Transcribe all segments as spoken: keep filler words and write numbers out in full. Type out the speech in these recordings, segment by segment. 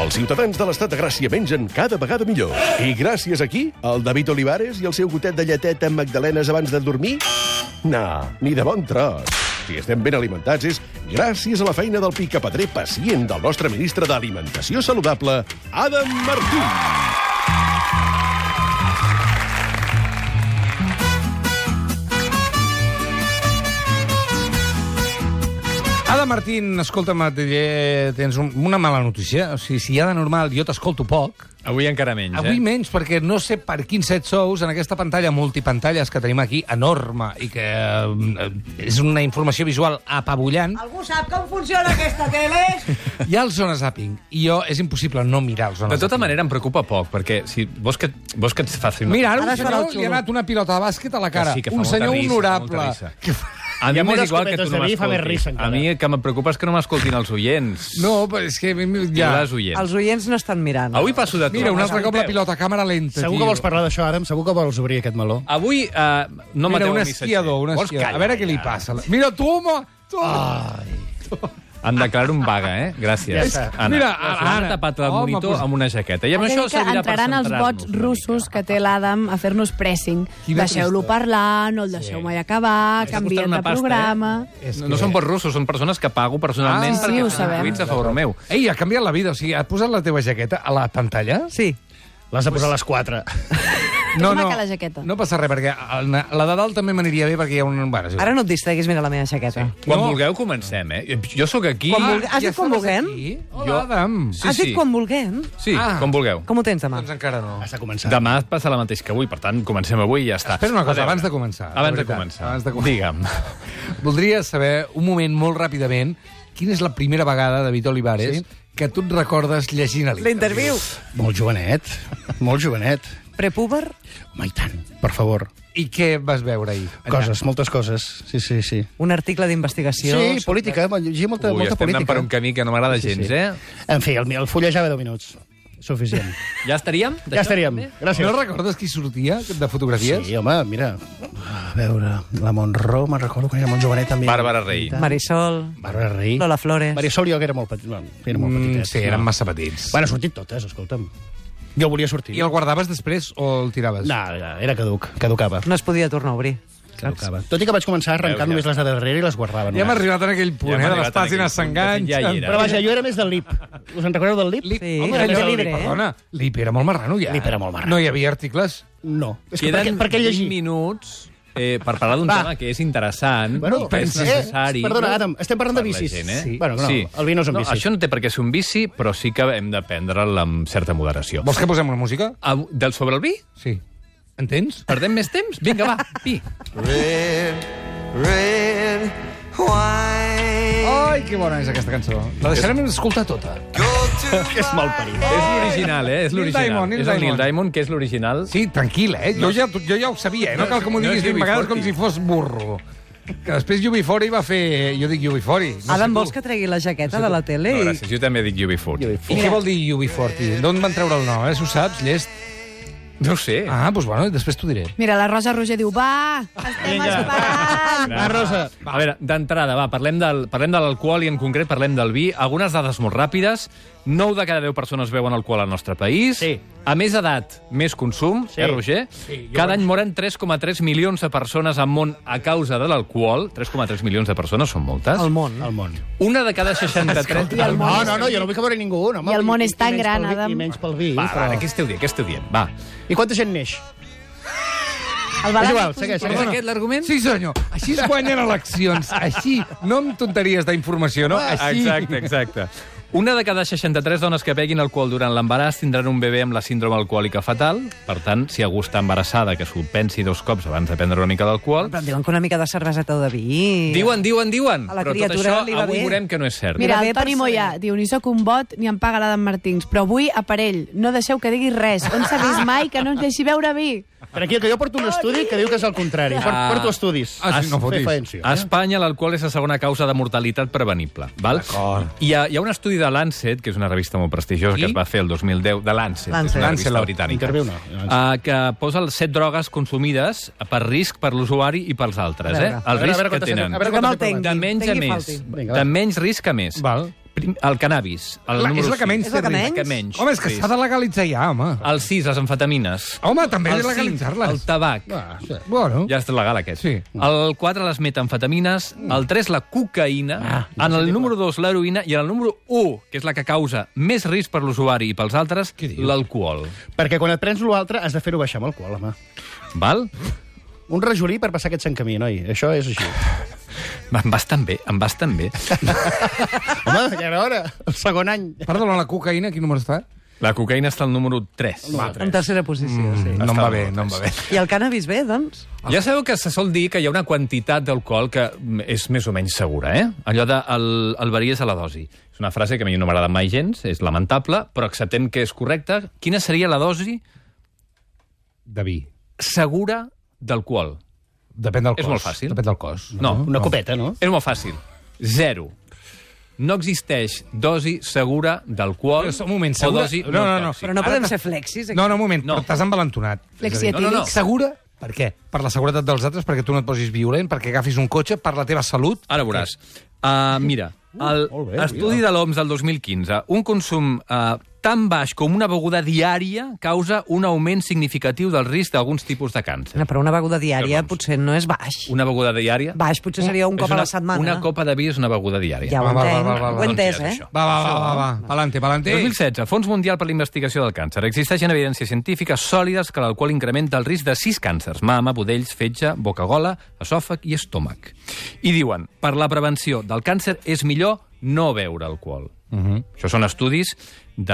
Els ciutadans de l'Estat de Gràcia mengen cada vegada millor. I gràcies a qui? Al David Olivares i el seu gotet de lleteta amb magdalenes abans de dormir? No, ni de bon tros. Si estem ben alimentats és gràcies a la feina del picapedrer pacient del nostre ministre d'Alimentació Saludable, Adam Martín. Adam Martín, escolta'm, tens una mala notícia. O sigui, si hi ha de normal jo t'escolto poc... Avui encara menys, Avui eh? menys, perquè no sé per quins set sous en aquesta pantalla multipantalles que tenim aquí, enorme, i que eh, és una informació visual apabullant. Algú sap com funciona aquesta tele? Hi ha el Zona Zapping, i jo és impossible no mirar el Zona Zapping. De tota manera, em preocupa poc, perquè si vols que, vols que et faci... Mira, ara un Ara es farà senyor el xulo. li ha anat una pilota de bàsquet a la cara. Que sí, que fa un molta senyor risa, honorable. fa molta risa. Que fa... A mi Hi ha m'és moltes igual que copetes tu no de vi, fa més m'escoltis. risa, A encara. mi el que em preocupa és que no m'escoltin els oients. No, però és que... Ja. Ja. Les oients. Els oients no estan mirant. Avui passo de tot. Mira, un altre cop la pilota, càmera lenta. Segur tio. que vols parlar d'això, Adam? Segur que vols obrir aquest meló? Avui uh, no Mira, mateu un el missatger. esquiador, un Vols esquiador. callar, A veure què li ja? passa. Mira, tu, home! Tu. Em declaro un vaga, eh? Gràcies. Ja està. Anna. Mira, L'ha Anna. tapat el Home, monitor pues- amb una jaqueta. I amb això Entenc que servirà per entraran els centrar-nos vots una russos mica. que té l'Adam a fer-nos pressing. Quina Deixeu-lo trista. parlar, no el deixeu mai acabar, Està canviem costant una de pasta, programa... Eh? No, no són vots russos, són persones que pago personalment Ah, sí, perquè ho facin sabem. tuits a favor meu. Ei, ha canviat la vida. O sigui, ha posat la teva jaqueta a la pantalla? Sí. L'has de posar a les quatre. No, És no, maca la jaqueta. no passa res, perquè el- la de dalt també m'aniria bé, perquè hi ha un... Bueno, sí. Ara no et distreguis, mira la meva jaqueta. Quan No. vulgueu comencem, eh? Jo sóc aquí... Quan vulgueu. Has dit ja quan estaves vulguem? aquí? Hola, Jo- Adam. Sí, Has sí. dit quan vulguem? Sí, Ah. com vulgueu. Com ho tens demà? Doncs encara no. Has de començar. Demà et passa la mateix que avui, per tant, comencem avui i ja està. Espera una A cosa, veure. abans de començar. Abans de veritat, començar. abans de començar. Digue'm. Voldria saber, un moment, molt ràpidament, quina és la primera vegada, David Olivares, Sí? que tu et recordes llegint a L'interviu. Molt jovenet. Molt jovenet. Prepúber? Home, i tant. Per favor. I què vas veure ahir? Allà? Coses, moltes coses. Sí, sí, sí. Un article d'investigació. Sí, política. Llegia molta, Ui, molta estem anant política. per un camí que no m'agrada Sí, gens, sí. eh? En fi, el, el fullejava deu minuts. Suficient. Ja estaríem? Ja estaríem. Gràcies. No recordes qui sortia de fotografies? Sí, home, mira. A veure, la Montró, me'n recordo que era molt jovenet també. Bàrbara Rey. Marisol, Bàrbara Rey. Lola Flores. Marisol jo que era molt petit. Bueno, era molt Mm, petitet. sí, eren massa petits. Bueno, han sortit totes, escolta'm. Jo volia sortir. I el guardaves després o el tiraves? No, era caduc, caducava. No es podia tornar a obrir. caducava. Tot i que vaig començar a arrencar Veus, ja. només les de darrere i les guardava. Ja hem només. arribat en aquell punt, Ja hem eh, de les arribat en aquell pàgines punt, de fet, s'enganxen. ja hi era. Però vaja, jo era més del L I P. Us en recordeu del L I P? Lip, Sí, home, era allò, més llibre, eh? Perdona, Lip era molt marrano, ja. Lip era molt marrano. No hi havia articles? No. És que Queden per, què- per què llegir? vint minuts eh, per parlar d'un Va. tema que és interessant, Bueno, que és pensa- necessari... eh, perdona, Adam, estem parlant de per la bicis. gent, eh? Sí. Bueno, no, el vi no és un bici. Això no té per què ser un bici, però sí que hem de prendre'l amb certa moderació. Vols que posem una música? Ah, del sobre el vi? Sí. Entens? Perdem més temps? Vinga, va, vi. Red, red wine. Ai, que bona és aquesta cançó. La deixarem escoltar tota. És mal parit. És l'original, eh? És Neil l'original. Diamond, Neil És el Neil Diamond. Diamond, que és l'original. Sí, tranquil, eh? Jo ja, jo ja ho sabia, eh? No cal que m'ho No diguis és vint vegades com U B si fos burro. Que després U B quaranta va fer... Jo dic U B quaranta. No Adam, sé tu. vols que tregui la jaqueta de la tele? No, i- gràcies, jo també dic U B quaranta. I què vol dir U B quaranta? D'on van treure el nom, eh? Si ho saps, llest. No ho sé. Ah, doncs bueno, després t'ho diré. Mira, la Rosa Roger diu, va, estem esperant. Va, Rosa. A veure, d'entrada, va, parlem, del, parlem de l'alcohol i en concret parlem del vi. Algunes dades molt ràpides. nou de cada deu persones beuen alcohol al nostre país. Sí. A més edat, més consum, Sí. eh, Roger? Sí, jo Cada vaig- any moren tres coma tres milions de persones al món a causa de l'alcohol. tres coma tres milions de persones són moltes. Al món. Al món. Una de cada seixanta-tres... No, no, no, jo no vull que mori ningú. No, home, I el món i- és i tan menys gran, pel vi- Adam. I menys pel vi. Va, però... va, què esteu dient? Què esteu dient? Va. I quanta gent neix? El És balanç igual, és segueix, positiu. segueix. És aquest l'argument? Sí, senyor. Així es guanyen eleccions. Així, no amb tonteries d'informació, no? Així. Exacte, exacte. Una de cada seixanta-tres dones que beguin alcohol durant l'embaràs tindran un bebè amb la síndrome alcohòlica fatal. Per tant, si algú està embarassada, que s'ho pensi dos cops abans de prendre una mica d'alcohol. Però em diuen que una mica de cerveseta o de vi... Diuen, diuen, diuen. A la Però tot criatura això li va avui bé. veurem que no és cert. Mira, Mira, el bé Toni per Moyà ser. diu, ni sóc un bot ni em paga l'Adam Martins, però avui, aparell, no deixeu que digui res. On s'ha vist mai que no ens deixi beure vi? Tranquil, que jo porto un estudi que diu que és el contrari. Porto, Ah. porto estudis. Ah, sí, no Fer fotis. faència. A Espanya l'alcohol és la segona causa de mortalitat prevenible. Val? Hi ha, hi ha un estudi de Lancet, que és una revista molt prestigiosa, I? que es va fer el dos mil deu, de Lancet, Lancet. és una revista Lancelot. britànica, Interviu no. uh, que posa les set drogues consumides per risc per l'usuari i pels altres. A Eh? veure. El A veure, a risc veure que quantes- tenen. a veure Que me'l quantes he tengui. provat. De menys a Tengui més. falti. Vinga, De va. menys risc a més. Val. Prim, el cannabis. El La, número és la que menys És la té que risc. menys? Que menys Home, és que risc. s'ha de legalitzar ja, home. El sis, les amfetamines. Home, també el de legalitzar-les. cinc, el tabac. Ah, sí. Bueno. Ja és legal, aquest. Sí. El quatre, les metamfetamines. El tres, la cocaïna. Ah, en el número dos, l'heroïna. I en el número u, que és la que causa més risc per l'usuari i pels altres, Què dius? l'alcohol. Perquè quan et prens l'altre has de fer-ho baixar amb alcohol, home. Val? Un rajolí per passar aquest sant camí, noi. Això és així. Em vas tan bé, em vas tan bé. Home, ja era hora. El segon any. Perdona, la cocaïna, quin número està? La cocaïna està al número tres. En tercera posició, sí. No em va bé, no em va bé. I el cannabis bé, doncs? Ja sabeu que se sol dir que hi ha una quantitat d'alcohol que és més o menys segura, eh? Allò de el, el varies a la dosi. És una frase que a mi no m'agrada mai gens, és lamentable, però acceptem que és correcta. Quina seria la dosi De vi. segura d'alcohol? Depèn del És cos. molt fàcil. Depèn del cos. No, Una copeta, no? és molt fàcil. Zero. No existeix dosi segura d'alcohol Però, un moment, o segura... dosi No, no, no. tòxica. Però no Ara podem t'has- ser flexis, aquí. No, no, un moment, No. però t'has envalentonat. Flexietílics. No, no, no. Segura? Per què? Per la seguretat dels altres, perquè tu no et posis violent, perquè agafis un cotxe, per la teva salut? Ara veuràs. Uh, mira, el molt bé, estudi de l'O M S del dos mil quinze, un consum uh, tan baix com una beguda diària causa un augment significatiu del risc d'alguns tipus de càncer. No, però una beguda diària Llavors. potser no és baix. Una beguda diària... Baix potser seria un és cop a una, la setmana. Una copa de vi és una beguda diària. Ja ho Va, va, va, entenc. va, va, va. Ho he entès, Doncs ja és eh? això. Va, va, va, va, va. Palante, palante. dos mil setze, Fons Mundial per la Investigació del Càncer. Existeixen evidències científiques sòlides que l'alcohol incrementa el risc de sis càncers: mama, budells, fetge, boca-gola, esòfag i estómac. I diuen, per la prevenció del càncer és millor no beure alcohol. Uh -huh. Això són estudis de,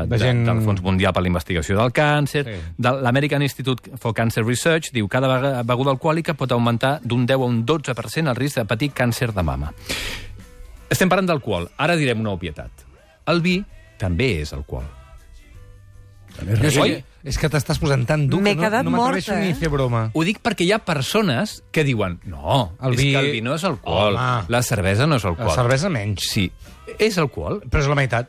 de, De gent- del Fons Mundial per la Investigació del Càncer, Sí. de l'American Institute for Cancer Research, diu que cada vega- beguda alcohòlica pot augmentar d'un deu a un dotze per cent el risc de patir càncer de mama. Estem parlant d'alcohol. Ara direm una obvietat. El vi també és alcohol. Jo sí, Oi? és que t'estàs posant tan dur M'he que no, quedat no m'atreveixo morta, ni eh? a fer broma. Ho dic perquè hi ha persones que diuen no, El és vi- que el vi no és alcohol, Home. la cervesa no és alcohol. La cervesa menys. Sí, és alcohol, Però és la meitat.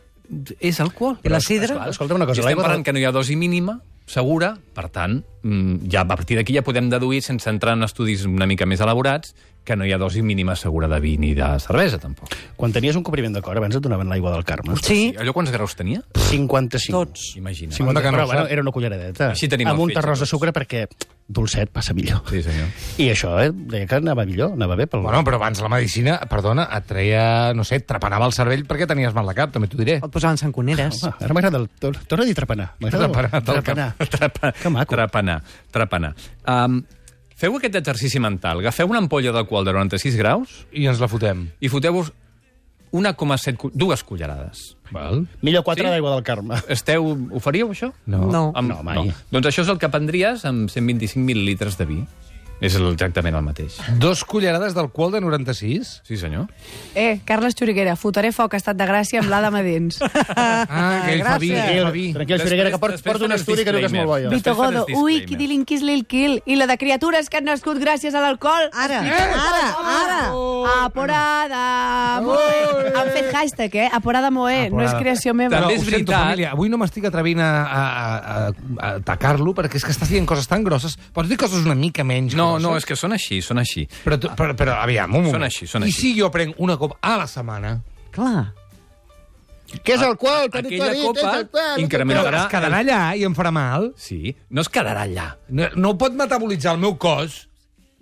és alcohol. I la sidra? Escolta, escolta una cosa. I estem l'aigua parlant de- que no hi ha dosi mínima, segura, per tant, mm, ja a partir d'aquí ja podem deduir, sense entrar en estudis una mica més elaborats, que no hi ha dosi mínima segura de vi ni de cervesa, tampoc. Quan tenies un compriment de cor, abans et donaven l'aigua del Carme. Sí, Allò quants graus tenia? cinquanta-cinc. tots. Imagina. cinquanta, que no però, ho bueno, sap. era una culleradeta. Així tenim amb el un fetge, terròs de tots. sucre perquè dolcet passa millor. Sí, senyor. I això, eh, deia que anava millor, anava bé pel... Bueno, però abans la medicina, perdona, et treia, no sé, et trepanava el cervell perquè tenies mal de cap, també t'ho diré. Et posaven sanconeres. Home, ara m'agrada el... tor- Torna a dir trepanar. M'agrada molt. Trepanar, del Trepanar. Trapa, Que maco. Trepanar, trepanar. Um, feu aquest exercici mental. Agafeu una ampolla d'alcohol de noranta-sis graus I ens la fotem. i foteu-vos un coma set, cu- dues cullerades. Val? Millor quatre Sí? d'aigua del Carme. Esteu, ho faríeu, això? No. No. Amb, No, mai. Doncs això és el que prendries amb cent vint-i-cinc mil·lilitres de vi. És exactament el mateix. Dos cullerades d'alcohol de noranta-sis? Sí, senyor. Eh, Carles Xuriguera, fotré foc a estat de gràcia amb l'Adam a dins. Ah, que ell fa vi, gràcies. ell fa vi. Tranquil, Després- Xuriguera, que port, després porta un faré el estudi que diu que és molt bo, jo. disclaimer. Vito Després faré Godo, els ui, disclaimers. qui dilin quis kill. I la de criatures que han nascut gràcies a l'alcohol. Ara, ara, ara. Aporada Moe. Han fet hashtag, eh? Aporada Moe. No és creació meva. També Però és ho sento, veritat. família, avui no m'estic atrevint a, a, a, a atacar-lo perquè és que estàs dient coses tan grosses. Pots dir coses una mica menys No, grosses? no, és que són així, són així. Però, tu- però, però aviam, un moment. Són així, són I així. si jo prenc una copa a la setmana? Clar. Què és el qual? Aquella copa incrementarà... Però es quedarà allà i em farà mal? Sí, no es quedarà allà. No, no pot metabolitzar el meu cos?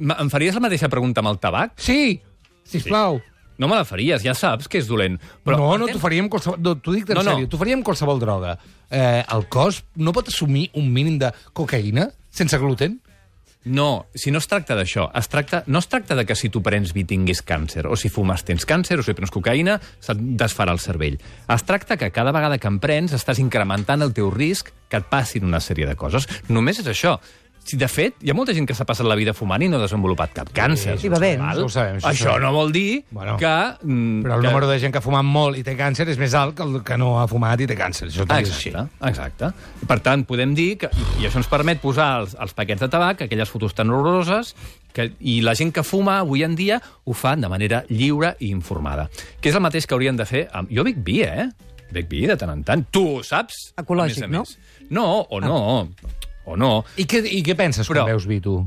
Ma- Em faries la mateixa pregunta amb el tabac? Sí, sisplau. No me la faries, ja saps que és dolent. Però no, no, entens? t'ho faria amb qualsevol... No, t'ho dic en No, no. sèrio, t'ho faria amb qualsevol droga. Eh, el cos no pot assumir un mínim de cocaïna sense gluten? No, si no es tracta d'això, es tracta, no es tracta de que si tu prens vi tinguis càncer, o si fumes tens càncer, o si prens cocaïna, se't desfarà el cervell. Es tracta que cada vegada que en prens estàs incrementant el teu risc que et passin una sèrie de coses. Només és això. Si, de fet, hi ha molta gent que s'ha passat la vida fumant i no ha desenvolupat cap càncer. I bevent. Val? Això ho sabem, això ho Això sabem. no vol dir Bueno, que... mm, Però el que... número de gent que ha fumat molt i té càncer és més alt que el que no ha fumat i té càncer. Això Ah, també és així. exacte, exacte. Per tant, podem dir que... I això ens permet posar els, els paquets de tabac, aquelles fotos tan horroroses, que, i la gent que fuma avui en dia ho fa de manera lliure i informada. Que és el mateix que haurien de fer... Amb... Jo bec vi, eh? Bec vi de tant en tant. Tu ho saps? Ecològic, a més a no? més. No, o no. O no. I què, i què penses Però- quan veus vi, tu?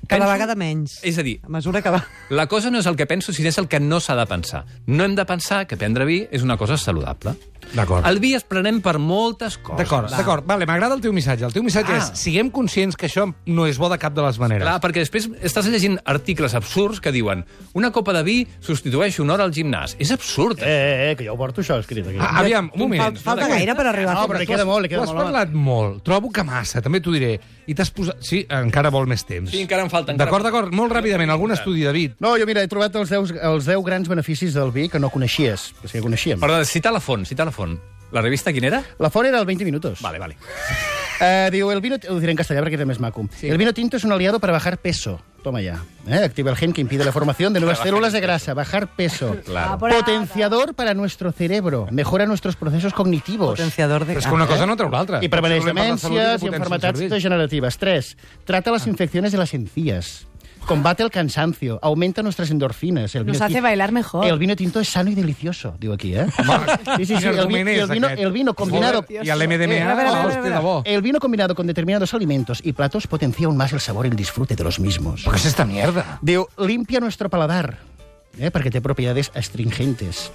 Cada vegada menys. És a dir, A mesura que va... la cosa no és el que penso, sinó és el que no s'ha de pensar. No hem de pensar que prendre vi és una cosa saludable. D'acord. El vi es prenem per moltes coses. D'acord, d'acord. Vale, m'agrada el teu missatge. El teu missatge Ah. és, siguem conscients que això no és bo de cap de les maneres. Clar, perquè després estàs llegint articles absurds que diuen una copa de vi substitueix una hora al gimnàs. És absurd. Eh, eh, eh, que jo ho porto això escrit aquí. Ah, aviam, un moment. Fal- Falta gaire per arribar No, a però li fer... queda molt, li Tu queda has molt. home. parlat molt. Trobo que massa, també t'ho diré. I t'has posat... Sí, encara vol més temps. Sí, encara em falta. encara- D'acord, d'acord. Molt ràpidament, algun estudi, David. No, jo mira, he trobat els deu, els deu grans beneficis del vi que no coneixies, que sí que coneixíem. Perdó, cita la font, cita la font. La revista quina era? La font era el veinte minutos. Vale, vale. Eh, diu, el vino... Ho diré en castellà perquè és més maco. Sí. El vino tinto es un aliado para bajar peso. Toma ya. ¿Eh? Activa el gen que impide la formación de nuevas células de grasa. Bajar peso. Claro. Potenciador para nuestro cerebro. Mejora nuestros procesos cognitivos. Potenciador de... Però és que una cosa no treu l'altra. Y preveneix Potser volem parlar de salut demències de y potència enfermedades del cervell. degenerativas. Tres, trata las infecciones de las encías. Combate el cansancio. Aumenta nuestras endorfinas. El Nos vino hace ti- bailar mejor. El vino tinto es sano y delicioso, digo aquí, ¿eh? Sí, sí, sí. Quin El, vi- argument y és el vino, aquest? el vino combinado... I l'M D M A, A veure, a veure, a hosti, veure. de bo. El vino combinado con determinados alimentos y platos potencia aún más el sabor y el disfrute de los mismos. Però què és esta mierda? Diu, limpia nuestro paladar, eh, perquè té propietats astringentes.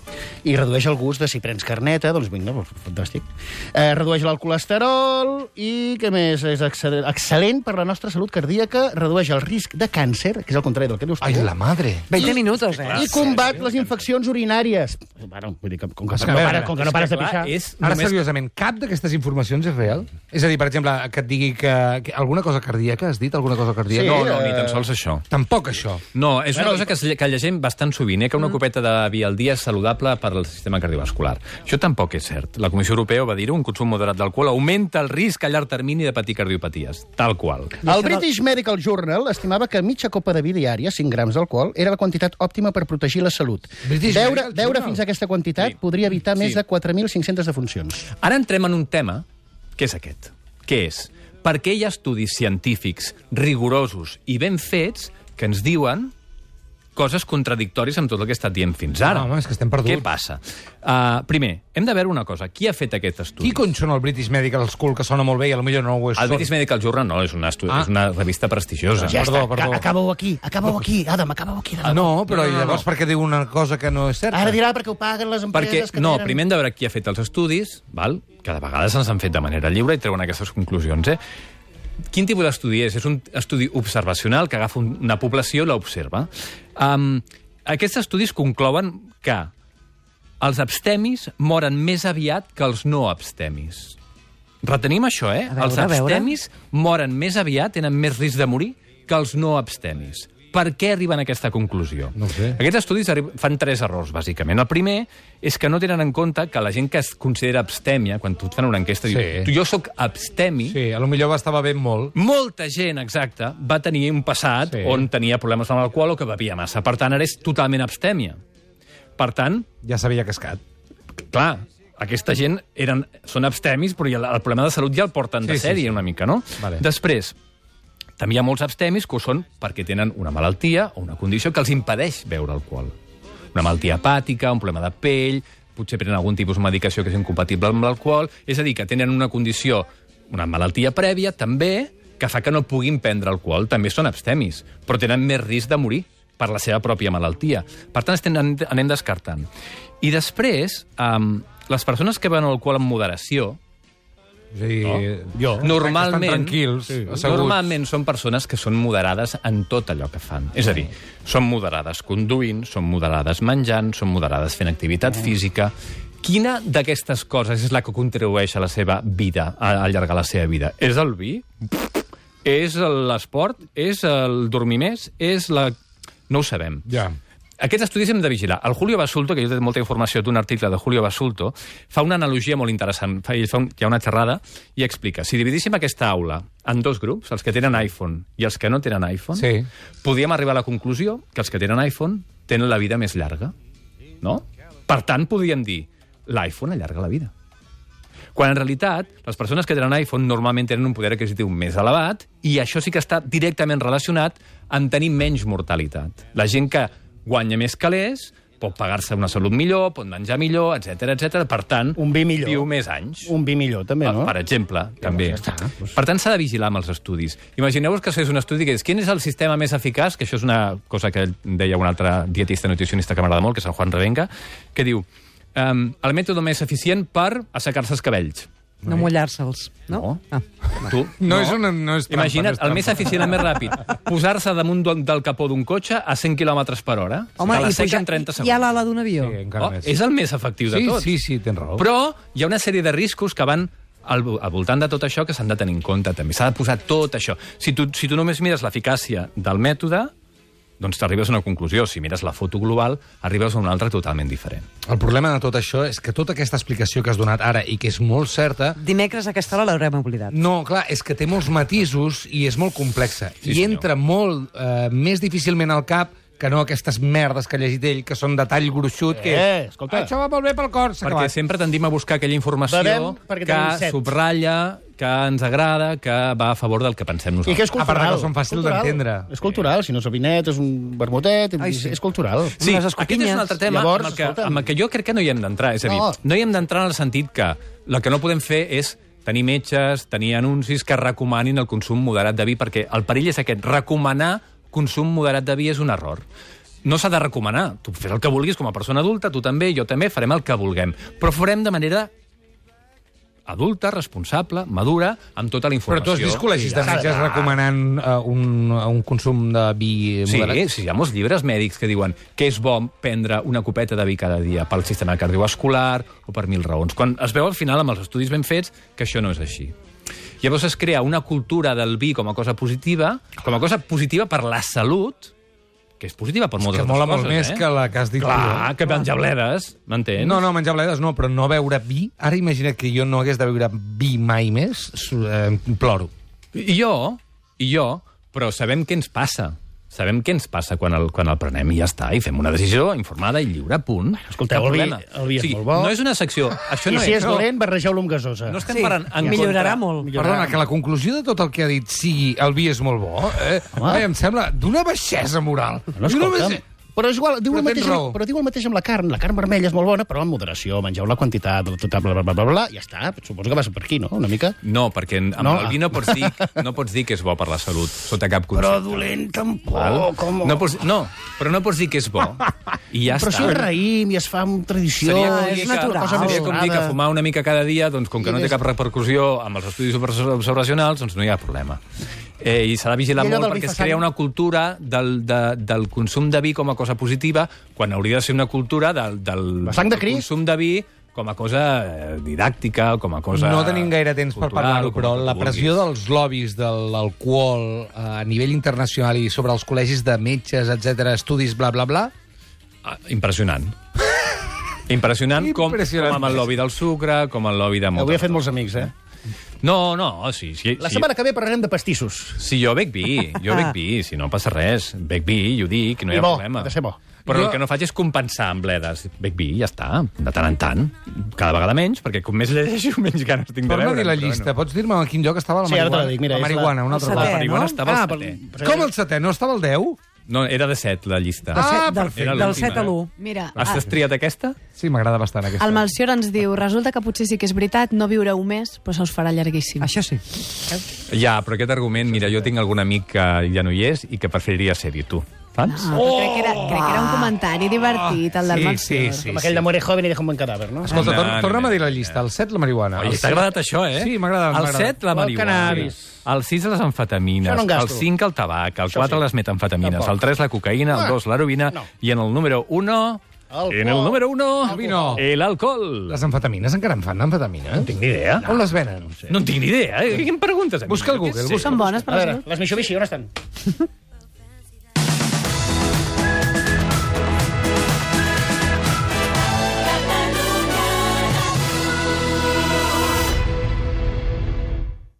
I redueix el gust de si prens carneta, doncs vinga, doncs, fantàstic. Eh, redueix el colesterol i, què més? És excel·lent, excel·lent per la nostra salut cardíaca, redueix el risc de càncer, que és el contrari del que dius tu. Ai, la madre. veinte minutos, eh? I combat les infeccions urinàries. Bueno, vull dir que com que, És que, no, a pares, veure, com que no pares de pixar... És Ara, només... seriosament, cap d'aquestes informacions és real? És a dir, per exemple, que et digui que, que alguna cosa cardíaca, has dit alguna cosa cardíaca? Sí, No, no, eh, ni tan sols això. Tampoc això. No, és una Bueno, cosa que, es lle- que llegim bastant sovint, eh? que una copeta de vi al dia és saludable per al sistema cardiovascular. Això tampoc és cert. La Comissió Europea va dir-ho, un consum moderat d'alcohol augmenta el risc a llarg termini de patir cardiopaties. Tal qual. El British Medical Journal estimava que mitja copa de vi diària, cinc grams d'alcohol, era la quantitat òptima per protegir la salut. British Beure, Medical beure Journal. fins a aquesta quantitat Sí. podria evitar Sí. més de quatre mil cinc-centes defuncions. Ara entrem en un tema que és aquest. Què és? Per què hi ha estudis científics rigorosos i ben fets que ens diuen coses contradictòries amb tot el que he estat dient fins ara? Ah, home, és que estem perduts. Què passa? Uh, primer, hem de veure una cosa. Qui ha fet aquest estudi? Qui cony són el British Medical School, que sona molt bé i potser no ho és? El British Medical Journal no, és una, estudi... Ah. és una revista prestigiosa. Ja Perdó, està, perdó. Ca- acaba-ho aquí, acaba-ho aquí, Adam, acaba-ho aquí. Ah, Adam. no, però No, no, no, llavors no. per què diu una cosa que no és certa? Ara dirà perquè ho paguen les Perquè, empreses que no, tenen... primer hem de veure qui ha fet els estudis, val? que de vegades ens han fet de manera lliure i treuen aquestes conclusions. Eh? Quin tipus d'estudi és? És un estudi observacional que agafa un- una població i l'observa. Um, aquests estudis conclouen que els abstemis moren més aviat que els no abstemis. Retenim això, eh? A veure, els a veure. abstemis moren més aviat, tenen més risc de morir que els no abstemis. Per què arriben a aquesta conclusió? No ho sé. Aquests estudis arri- fan tres errors, bàsicament. El primer és que no tenen en compte que la gent que es considera abstèmia, quan tu et fan una enquesta, Sí. diu, tu, jo sóc abstemi, Sí, a lo millor estava ben molt. molta gent, exacte, va tenir un passat Sí. on tenia problemes amb l'alcohol o que bevia massa. Per tant, ara és totalment abstèmia. Per tant, Ja s'havia cascat. clar, aquesta gent eren, són abstemis, però ja el, el problema de salut ja el porten de Sí, sí, sèrie sí. una mica, no? Vale. Després, també hi ha molts abstemis que ho són perquè tenen una malaltia o una condició que els impedeix beure alcohol. Una malaltia hepàtica, un problema de pell, potser prenen algun tipus de medicació que és incompatible amb l'alcohol, és a dir, que tenen una condició, una malaltia prèvia, també, que fa que no puguin prendre alcohol. També són abstemis, però tenen més risc de morir per la seva pròpia malaltia. Per tant, estem, anem descartant. I després, um, les persones que beuen alcohol amb moderació, És a dir, No? jo. normalment, Estan tranquils, sí, asseguts. normalment són persones que són moderades en tot allò que fan. És a dir, són moderades conduint, són moderades menjant, són moderades fent activitat física. Quina d'aquestes coses és la que contribueix a la seva vida, a allargar la seva vida? És el vi? És l'esport? És el dormir més? És la... No ho sabem. Ja. Aquests estudis hem de vigilar. El Julio Basulto, que jo he molta informació d'un article de Julio Basulto, fa una analogia molt interessant. Fa, ell fa un, hi ha una xerrada i explica. Si dividíssim aquesta aula en dos grups, els que tenen iPhone i els que no tenen iPhone, Sí. podríem arribar a la conclusió que els que tenen iPhone tenen la vida més llarga. No? Per tant, podríem dir l'iPhone allarga la vida. Quan en realitat les persones que tenen iPhone normalment tenen un poder adquisitiu més elevat i això sí que està directament relacionat amb tenir menys mortalitat. La gent que guanya més calés pot pagar-se una salut millor, pot menjar millor, etcètera, etcètera. Per tant, Un vi millor. viu més anys. Un vi millor, també, no? Per exemple, també. ja està, doncs. Per tant, s'ha de vigilar amb els estudis. Imagineu-vos que fes un estudi que és quin és el sistema més eficaç, que això és una cosa que deia un altre dietista nutricionista que m'agrada molt, que és el Juan Revenga, que diu um, el mètode més eficient per assecar-se els cabells. No mullar-se'ls, no? No. Ah. Tu, No és una- no és trampa, Imagina't, no és el més trampa. eficient, el més ràpid, posar-se damunt del del capó d'un cotxe a cent quilòmetres per hora. Home, que la i seca pujar- en trenta hi segons. ha l'ala d'un avió. Sí, encara Oh, més. és el més efectiu de Sí, tots. sí, sí, tens raó. Però hi ha una sèrie de riscos que van al, al voltant de tot això que s'han de tenir en compte també. S'ha de posar tot això. Si tu, si tu només mires l'eficàcia del mètode, doncs t'arribes a una conclusió. Si mires la foto global, arribes a una altra totalment diferent. El problema de tot això és que tota aquesta explicació que has donat ara i que és molt certa, Dimecres a aquesta hora l'haurem oblidat. no, clar, és que té molts matisos i és molt complexa. Sí, I senyor. entra molt eh, més difícilment al cap que no aquestes merdes que ha llegit ell, que són de tall gruixut, que Eh, és, escolta. això va molt bé pel cor, s'ha Perquè acabat. sempre tendim a buscar aquella informació Bevem perquè tenim que set. subratlla, que ens agrada, que va a favor del que pensem I nosaltres. que és A part cultural. que són fàcils Cultural. d'entendre. És cultural, si no és un vinet, és un vermutet, Ai, és, sí. és cultural. Sí, Unes aquest és escopinyes. un altre tema Llavors, amb, el que, escolta'm. amb el que jo crec que no hi hem d'entrar. És a dir, No. no, no hi hem d'entrar en el sentit que el que no podem fer és tenir metges, tenir anuncis que recomanin el consum moderat de vi, perquè el perill és aquest, recomanar consum moderat de vi és un error. No s'ha de recomanar. Tu fes el que vulguis com a persona adulta, tu també, jo també, farem el que vulguem. Però farem de manera adulta, responsable, madura, amb tota la Però informació. tu has vist col·legis de metges recomanant uh, un, un consum de vi Sí, moderat? sí, hi ha molts llibres mèdics que diuen que és bo prendre una copeta de vi cada dia pel sistema cardiovascular o per mil raons. Quan es veu al final amb els estudis ben fets que això no és així. Llavors es crea una cultura del vi com a cosa positiva, com a cosa positiva per la salut, que és positiva per moltes Que altres mola coses, molt més eh? que la que has dit Clar, tu. que menjar bledes, m'entens? No, no, menjar bledes no, però no beure vi. Ara imagina't que jo no hagués de beure vi mai més, su- eh, ploro. I jo, i jo, però sabem què ens passa. Sabem què ens passa quan el, quan el prenem i ja està, i fem una decisió informada i lliure, punt. escolteu, Cap el vi- problema. el vi és O sigui, molt bo. No és una secció... Això I no si és no, dolent, barregeu-lo amb gasosa. no estem Sí, parlant en millorarà contra... molt. Perdona, que la conclusió de tot el que ha dit sigui el vi és molt bo, eh? Home. eh em sembla d'una baixesa moral. No, escolta'm, però és igual, diu, Però el tens mateix, raó. però diu el mateix amb la carn. La carn vermella és molt bona, però amb moderació. Mengeu la quantitat, tot, bla, bla, bla, bla, bla, ja està. Suposo que vas per aquí, no? Una mica. No, perquè amb No. no. el vi no pots, dir, no pots dir que és bo per la salut, sota cap concepte. Però dolent tampoc. Val? Com... No, pots, no, però no pots dir que és bo. I ja però està. si és raïm i es fa amb tradició... Seria com, és dir natural. que, seria com dir que fumar una mica cada dia, doncs com que I no té des- cap repercussió amb els estudis observacionals, doncs no hi ha problema. Eh, I s'ha de vigilar I allò molt del vi perquè es fa crea sang? una cultura del, de, del consum de vi com a cosa positiva, quan hauria de ser una cultura del, del, La sang de del Crist? consum de vi com a cosa eh, didàctica, com a cosa... No tenim gaire temps per cultural, parlar-ho, o com però tu la pressió vulguis. dels lobbies de l'alcohol eh, a nivell internacional i sobre els col·legis de metges, etcètera, estudis, bla, bla, bla, Ah, impressionant. Impressionant, com, Impressionant. com amb el lobby del sucre, com el lobby de moltes... Avui he fet molts amics, eh? No, no, sí. sí, La sí. setmana que ve parlarem de pastissos. Si jo bec vi, jo bec vi, si no passa res. Bec vi, i ho dic, no hi I ha bo, problema. ha de ser bo. Però Jo- el que no faig és compensar amb bledes. Bec vi, ja està, de tant en tant. Cada vegada menys, perquè com més llegeixo, menys ganes tinc de torna a veure. dir la llista. Pots dir-me a quin lloc estava la Sí, ara te marihuana? la dic, mira, la és la- marihuana, un el altre setè, cop. La marihuana no? estava Ah, al però- setè. Com el setè? No estava el deu? No, era de set, la llista. De set, Ah, del, perfecte. del set a l'u. Mira, Has ah, triat aquesta? Sí, m'agrada bastant aquesta. el Melcior ens diu, resulta que potser sí que és veritat, no viureu més, però se us farà llarguíssim. Això sí. Ja, però aquest argument, mira, jo tinc algun amic que ja no hi és i que preferiria ser-hi, tu. Saps? No, però crec, que era, crec que era un comentari divertit, el del Sí, Melcior. sí, sí. Com aquell de muere joven i deja un buen cadàver, no? Escolta, tor No, no, torna'm no. a dir la llista. El set, la marihuana. Oi, El t'ha set- agradat això, eh? Sí, m'agrada, El m'agrada. set, la O el marihuana. cannabis. El sis, les amfetamines. Això no en gasto. El cinc, el tabac. El Això quatre, sí. les metamfetamines. Tampoc. El tres, la cocaïna. El Ah, dos, l'heroïna. no. I en el número uno... Alcohol. En el número uno... El vino. El alcohol. Les amfetamines encara en fan d'amfetamina? No tinc ni idea. On les venen? No en tinc ni idea. Eh? Què em preguntes a mi? Busca al Jo què Google, sé. busca. Són bones per A la veure, salut? les Mitsubishi, on estan?